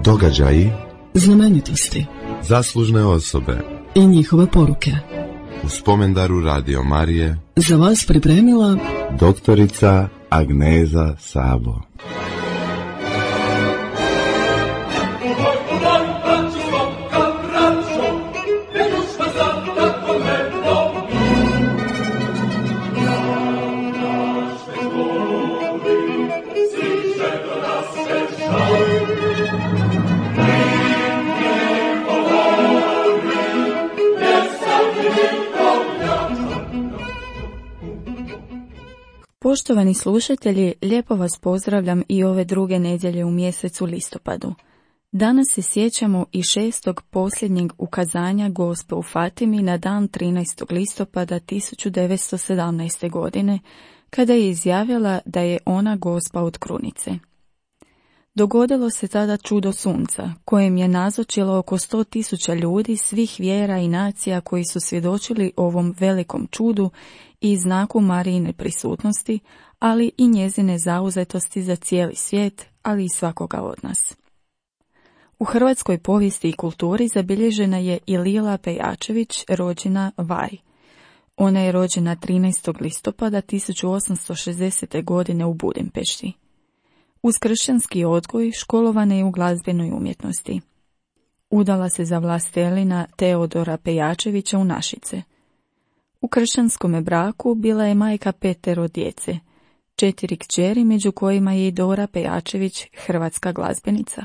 Događaji, znamenitosti, zaslužne osobe i njihove poruke. U spomendaru Radio Marije za vas pripremila doktorica Agneza Sabo. Poštovani slušatelji, lijepo vas pozdravljam i ove druge nedjelje u mjesecu listopadu. Danas se sjećamo i 6. posljednjeg ukazanja Gospe u Fatimi na dan 13. listopada 1917. godine, kada je izjavila da je ona Gospa od krunice. Dogodilo se tada čudo sunca, kojem je nazočilo oko 100.000 ljudi svih vjera i nacija koji su svjedočili ovom velikom čudu i znaku Marijine prisutnosti, ali i njezine zauzetosti za cijeli svijet, ali i svakoga od nas. U hrvatskoj povijesti i kulturi zabilježena je i Lila Pejačević, rođena Vaj. Ona je rođena 13. listopada 1860. godine u Budimpešti. Uz kršćanski odgoj školovana je u glazbenoj umjetnosti. Udala se za vlastelina Teodora Pejačevića u Našice. U kršćanskome braku bila je majka 5 djece, 4 kćeri među kojima je i Dora Pejačević, hrvatska glazbenica.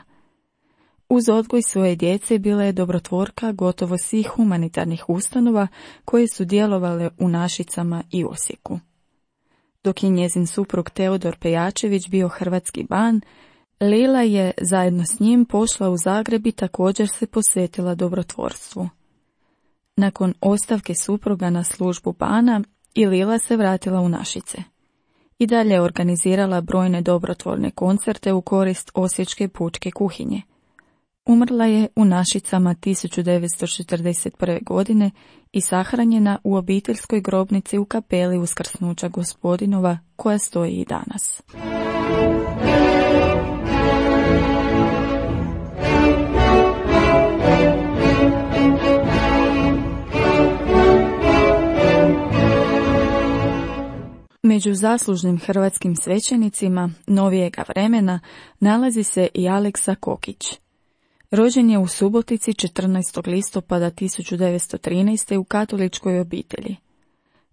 Uz odgoj svoje djece bila je dobrotvorka gotovo svih humanitarnih ustanova koje su djelovale u Našicama i Osijeku. Dok je njezin suprug Teodor Pejačević bio hrvatski ban, Lila je zajedno s njim pošla u Zagreb i također se posvetila dobrotvorstvu. Nakon ostavke supruga na službu bana, i Lila se vratila u Našice. I dalje je organizirala brojne dobrotvorne koncerte u korist Osječke pučke kuhinje. Umrla je u Našicama 1941. godine i sahranjena u obiteljskoj grobnici u kapeli Uskrsnuća Gospodinova, koja stoji i danas. Među zaslužnim hrvatskim svećenicima novijega vremena nalazi se i Aleksa Kokić. Rođen je u Subotici 14. listopada 1913. u katoličkoj obitelji.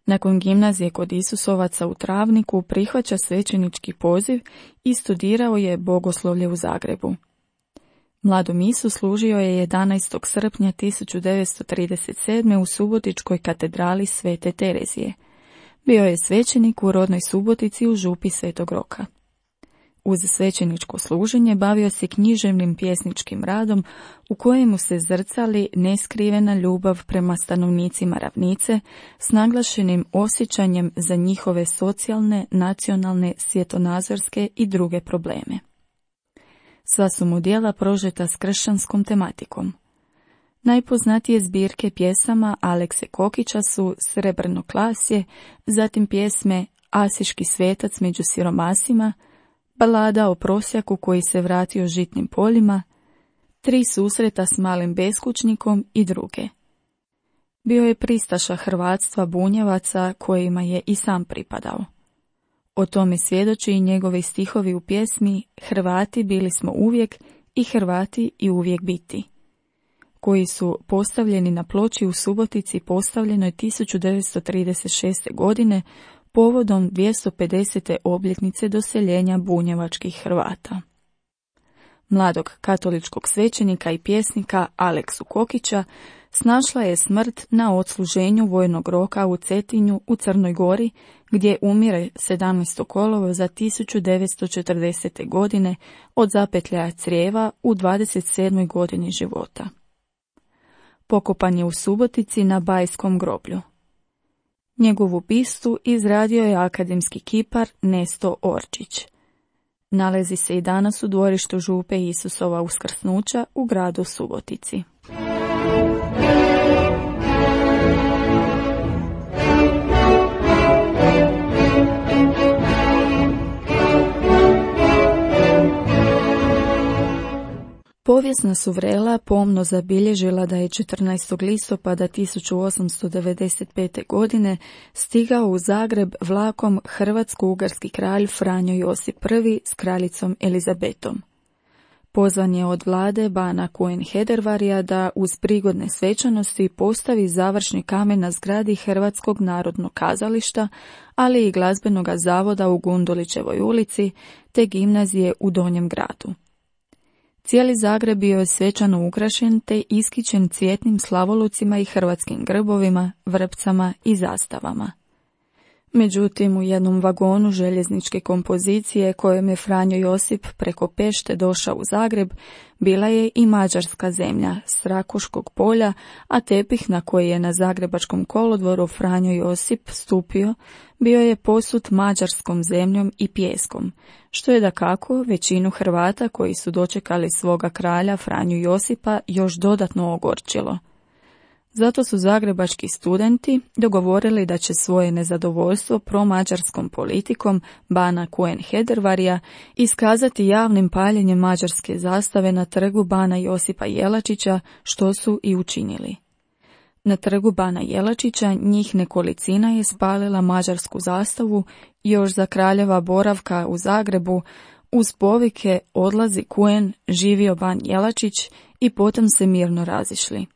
Nakon gimnazije kod Isusovaca u Travniku prihvaća svećenički poziv i studirao je bogoslovlje u Zagrebu. Mladom Isu služio je 11. srpnja 1937. u Subotičkoj katedrali Svete Terezije. Bio je svećenik u rodnoj Subotici u župi Svetog Roka. Uz svećeničko služenje bavio se književnim pjesničkim radom u kojemu se zrcali neskrivena ljubav prema stanovnicima ravnice s naglašenim osjećanjem za njihove socijalne, nacionalne, svjetonazorske i druge probleme. Sva su mu djela prožeta s kršćanskom tematikom. Najpoznatije zbirke pjesama Alekse Kokića su Srebrno klasje, zatim pjesme Asiški svetac među siromasima, Balada o prosjaku koji se vratio žitnim poljima, 3 susreta s malim beskućnikom i druge. Bio je pristaša hrvatstva Bunjevaca kojima je i sam pripadao. O tome svjedoči i njegovi stihovi u pjesmi Hrvati bili smo uvijek i Hrvati i uvijek biti, koji su postavljeni na ploči u Subotici postavljenoj 1936. godine povodom 250. obljetnice doseljenja bunjevačkih Hrvata. Mladog katoličkog svećenika i pjesnika Aleksu Kokića snašla je smrt na odsluženju vojnog roka u Cetinju u Crnoj Gori, gdje umire 17. kolovoza 1940. godine od zapetljaja crijeva u 27. godini života. Pokopan je u Subotici na Bajskom groblju. Njegovu bistu izradio je akademski kipar Nesto Orčić. Nalazi se i danas u dvorištu župe Isusova Uskrsnuća u gradu Subotici. Povijesna su vrela pomno zabilježila da je 14. listopada 1895. godine stigao u Zagreb vlakom hrvatsko-ugarski kralj Franjo Josip I s kraljicom Elizabetom. Pozvan je od vlade bana Kuen Hedervarija da uz prigodne svečanosti postavi završni kamen na zgradi Hrvatskog narodnog kazališta, ali i glazbenog zavoda u Gundulićevoj ulici te gimnazije u Donjem gradu. Cijeli Zagreb bio je svečano ukrašen te iskićen cvjetnim slavolucima i hrvatskim grbovima, vrpcama i zastavama. Međutim, u jednom vagonu željezničke kompozicije kojom je Franjo Josip preko Pešte došao u Zagreb, bila je i mađarska zemlja s Rakoškog polja, a tepih na koji je na zagrebačkom kolodvoru Franjo Josip stupio, bio je posut mađarskom zemljom i pijeskom, što je dakako većinu Hrvata koji su dočekali svoga kralja Franju Josipa još dodatno ogorčilo. Zato su zagrebački studenti dogovorili da će svoje nezadovoljstvo promađarskom politikom bana Kuen Hedervarija iskazati javnim paljenjem mađarske zastave na trgu bana Josipa Jelačića, što su i učinili. Na trgu bana Jelačića njih nekolicina je spalila mađarsku zastavu još za kraljeva boravka u Zagrebu uz povike odlazi Kuen, živio ban Jelačić i potom se mirno razišli.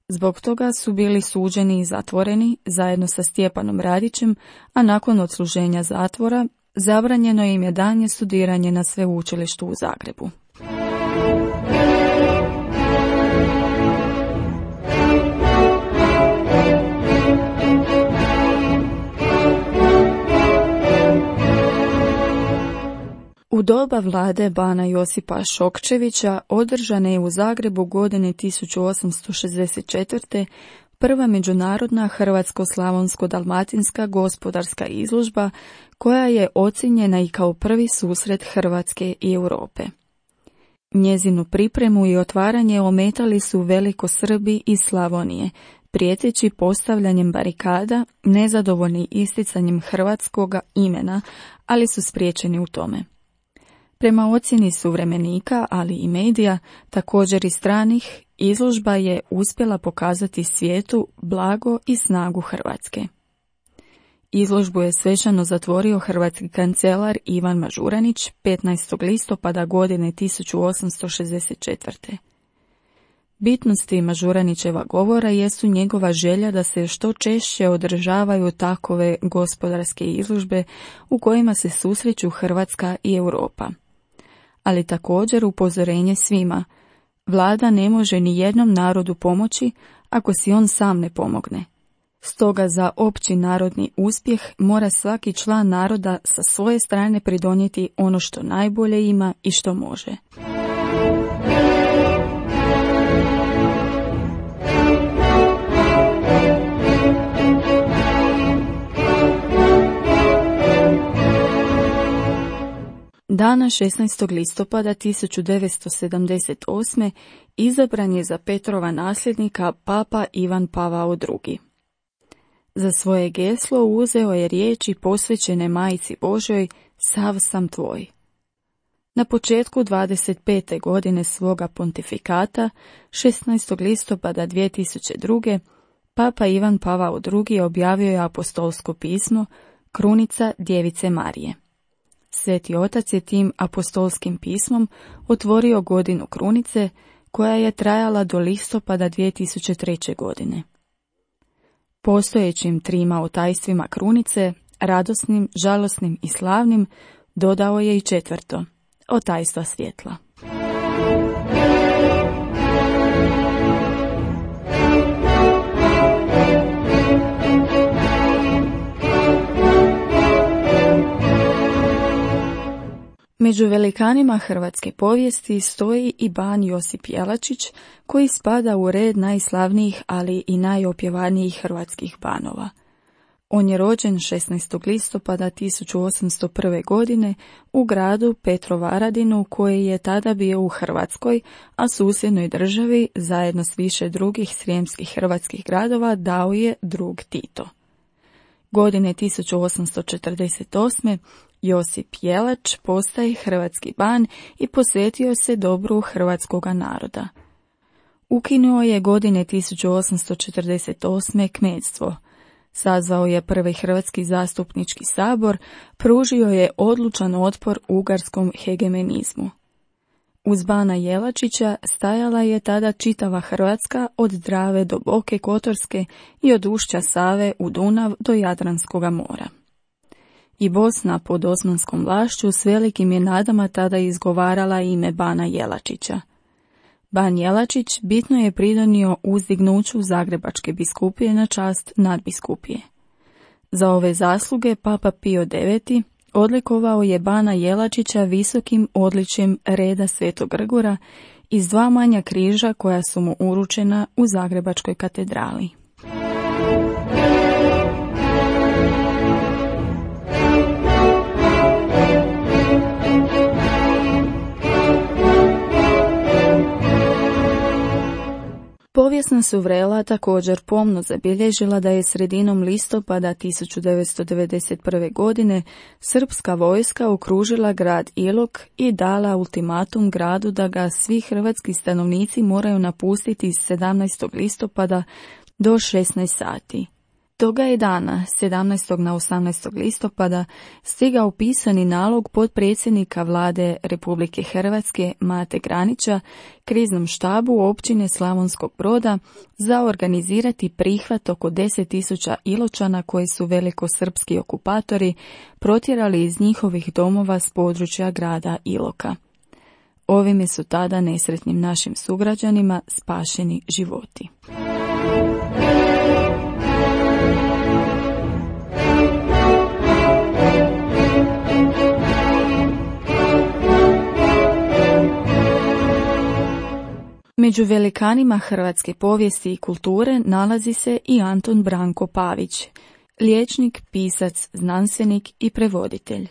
Zbog toga su bili suđeni i zatvoreni zajedno sa Stjepanom Radićem, a nakon odsluženja zatvora zabranjeno im je daljnje studiranje na sveučilištu u Zagrebu. U doba vlade bana Josipa Šokčevića održana je u Zagrebu godine 1864. prva međunarodna hrvatsko-slavonsko-dalmatinska gospodarska izložba koja je ocijenjena i kao prvi susret Hrvatske i Europe. Njezinu pripremu i otvaranje ometali su velikosrbi iz Slavonije, prijeteći postavljanjem barikada, nezadovoljni isticanjem hrvatskoga imena, ali su spriječeni u tome. Prema ocjeni suvremenika, ali i medija, također i stranih, izložba je uspjela pokazati svijetu blago i snagu Hrvatske. Izložbu je svečano zatvorio hrvatski kancelar Ivan Mažuranić 15. listopada godine 1864. Bitnosti Mažuranićeva govora jesu njegova želja da se što češće održavaju takove gospodarske izložbe u kojima se susreću Hrvatska i Europa. Ali također upozorenje svima, vlada ne može ni jednom narodu pomoći ako si on sam ne pomogne. Stoga za opći narodni uspjeh mora svaki član naroda sa svoje strane pridonijeti ono što najbolje ima i što može. Dana 16. listopada 1978. izabran je za Petrova nasljednika papa Ivan Pavao II. Za svoje geslo uzeo je riječi posvećene Majici Božjoj Sav sam tvoj. Na početku 25. godine svoga pontifikata, 16. listopada 2002. papa Ivan Pavao II. Objavio je apostolsko pismo Krunica Djevice Marije. Sveti otac je tim apostolskim pismom otvorio godinu krunice koja je trajala do listopada 2003. godine. Postojećim trima otajstvima krunice, radosnim, žalosnim i slavnim, dodao je i četvrto, otajstva svjetla. Među velikanima hrvatske povijesti stoji i ban Josip Jelačić, koji spada u red najslavnijih, ali i najopjevanijih hrvatskih banova. On je rođen 16. listopada 1801. godine u gradu Petrovaradinu, koji je tada bio u Hrvatskoj, a susjednoj državi, zajedno s više drugih srijemskih hrvatskih gradova, dao je drug Tito. Godine 1848. Josip Jelač postaje hrvatski ban i posvetio se dobru hrvatskoga naroda. Ukinuo je godine 1848. kmetstvo, sazvao je prvi hrvatski zastupnički sabor, pružio je odlučan otpor ugarskom hegemonizmu. Uz bana Jelačića stajala je tada čitava Hrvatska od Drave do Boke Kotorske i od ušća Save u Dunav do Jadranskoga mora. I Bosna pod osmanskom vlašću s velikim je nadama tada izgovarala ime bana Jelačića. Ban Jelačić bitno je pridonio uzdignuću Zagrebačke biskupije na čast nadbiskupije. Za ove zasluge Papa Pio IX odlikovao je bana Jelačića visokim odličjem reda Svetog Grgura iz 2 manja križa koja su mu uručena u Zagrebačkoj katedrali. Povijesna su vrela također pomno zabilježila da je sredinom listopada 1991. godine srpska vojska okružila grad Ilok i dala ultimatum gradu da ga svi hrvatski stanovnici moraju napustiti 17. listopada do 16 sati. Toga je dana, 17. na 18. listopada, stigao pisani nalog potpredsjednika vlade Republike Hrvatske Mate Granića kriznom štabu općine Slavonskog Broda za organizirati prihvat oko 10.000 Iločana koji su velikosrpski okupatori protjerali iz njihovih domova s područja grada Iloka. Ovime su tada nesretnim našim sugrađanima spašeni životi. Među velikanima hrvatske povijesti i kulture nalazi se i Antun Branko Pavić, liječnik, pisac, znanstvenik i prevoditelj.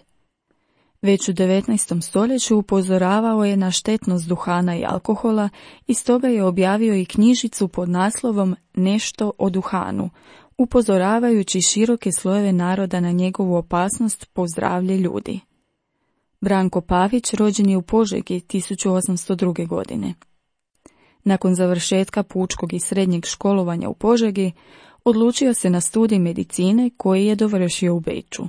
Već u 19. stoljeću upozoravao je na štetnost duhana i alkohola i stoga je objavio i knjižicu pod naslovom Nešto o duhanu, upozoravajući široke slojeve naroda na njegovu opasnost po zdravlje ljudi. Branko Pavić rođen je u Požegi 1802. godine. Nakon završetka pučkog i srednjeg školovanja u Požegi, odlučio se na studij medicine koji je dovršio u Beču.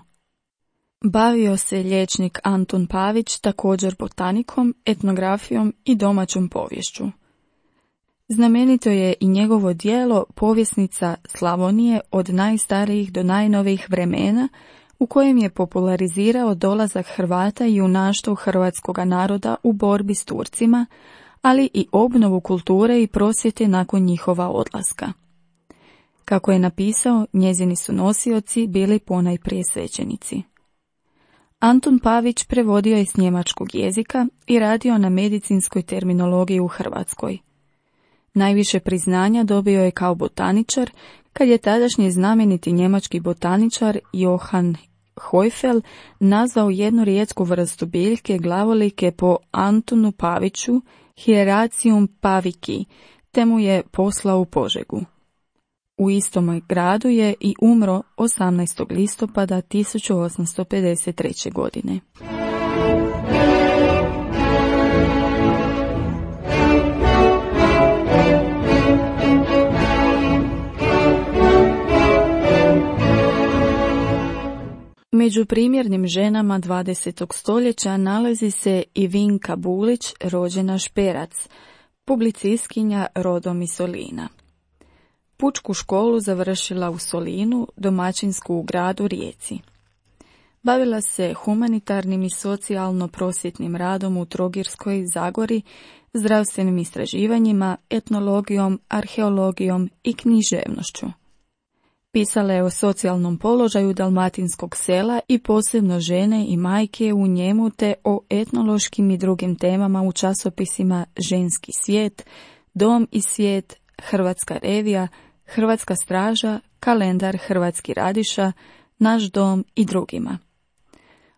Bavio se liječnik Antun Pavić također botanikom, etnografijom i domaćom poviješću. Znamenito je i njegovo djelo Povjesnica Slavonije od najstarijih do najnovijih vremena, u kojem je popularizirao dolazak Hrvata i junaštvo hrvatskoga naroda u borbi s Turcima, ali i obnovu kulture i prosvjete nakon njihova odlaska. Kako je napisao, njezini su nosioci bili ponajprije svećenici. Antun Pavić prevodio je s njemačkog jezika i radio na medicinskoj terminologiji u Hrvatskoj. Najviše priznanja dobio je kao botaničar, kad je tadašnji znameniti njemački botaničar Johann Heufel nazvao jednu rijetku vrstu biljke glavolike po Antunu Paviću, Hieracium paviki, te mu je poslao u Požegu. U istom gradu je i umro 18. listopada 1853. godine. Među primjernim ženama 20. stoljeća nalazi se i Vinka Bulić, rođena Šperac, publicistkinja rodom iz Solina. Pučku školu završila u Solinu, domaćinsku u gradu Rijeci. Bavila se humanitarnim i socijalno-prosvjetnim radom u Trogirskoj Zagori, zdravstvenim istraživanjima, etnologijom, arheologijom i književnošću. Pisala je o socijalnom položaju dalmatinskog sela i posebno žene i majke u njemu te o etnološkim i drugim temama u časopisima Ženski svijet, Dom i svijet, Hrvatska revija, Hrvatska straža, Kalendar Hrvatski radiša, Naš dom i drugima.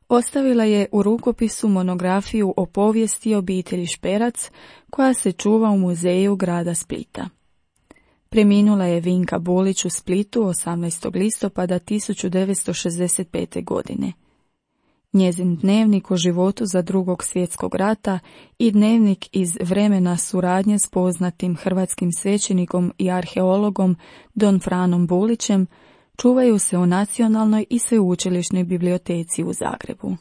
Ostavila je u rukopisu monografiju o povijesti obitelji Šperac koja se čuva u muzeju grada Splita. Preminula je Vinka Bulić u Splitu 18. listopada 1965. godine. njezin dnevnik o životu za Drugog svjetskog rata i dnevnik iz vremena suradnje s poznatim hrvatskim svećenikom i arheologom Don Franom Bulićem čuvaju se u Nacionalnoj i sveučilišnoj biblioteci u Zagrebu.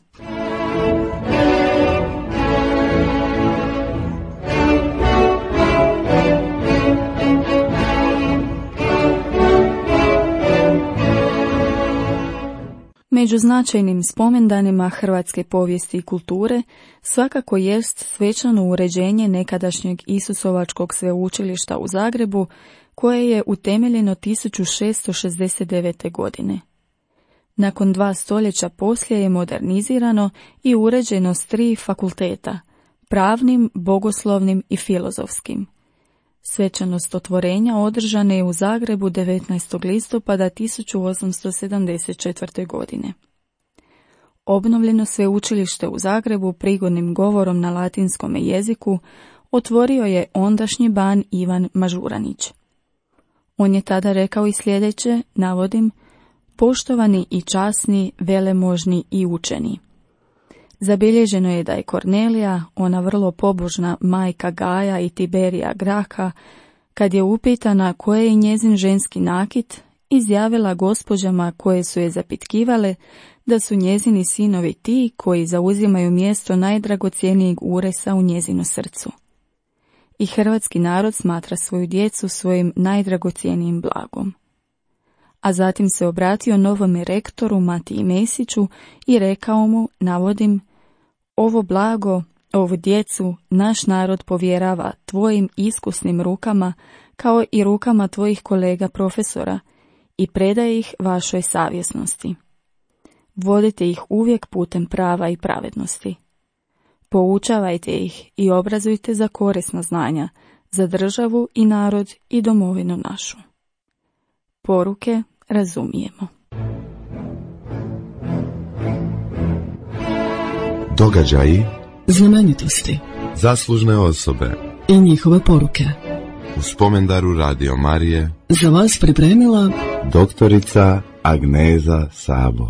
Među značajnim spomendanima hrvatske povijesti i kulture svakako jest svečano uređenje nekadašnjeg Isusovačkog sveučilišta u Zagrebu, koje je utemeljeno 1669. godine. Nakon 2 stoljeća poslije je modernizirano i uređeno s 3 fakulteta, pravnim, bogoslovnim i filozofskim. Svečanost otvorenja održana je u Zagrebu 19. listopada 1874. godine. Obnovljeno sveučilište u Zagrebu prigodnim govorom na latinskom jeziku otvorio je ondašnji ban Ivan Mažuranić. On je tada rekao i sljedeće, navodim, poštovani i časni, velemožni i učeni. Zabilježeno je da je Kornelija, ona vrlo pobožna majka Gaja i Tiberija Graha, kad je upitana koje je njezin ženski nakit, izjavila gospođama koje su je zapitkivale da su njezini sinovi ti koji zauzimaju mjesto najdragocjenijeg uresa u njezinu srcu. I hrvatski narod smatra svoju djecu svojim najdragocjenijim blagom. A zatim se obratio novome rektoru Matiji Mesiću i rekao mu, navodim, ovo blago, ovu djecu naš narod povjerava tvojim iskusnim rukama kao i rukama tvojih kolega profesora i predaje ih vašoj savjesnosti. Vodite ih uvijek putem prava i pravednosti. Poučavajte ih i obrazujte za korisna znanja, za državu i narod i domovinu našu. Poruke razumijemo. Događaji, znamenitosti, zaslužne osobe i njihove poruke. U spomendaru Radio Marije Za vas pripremila doktorica Agneza Sabo.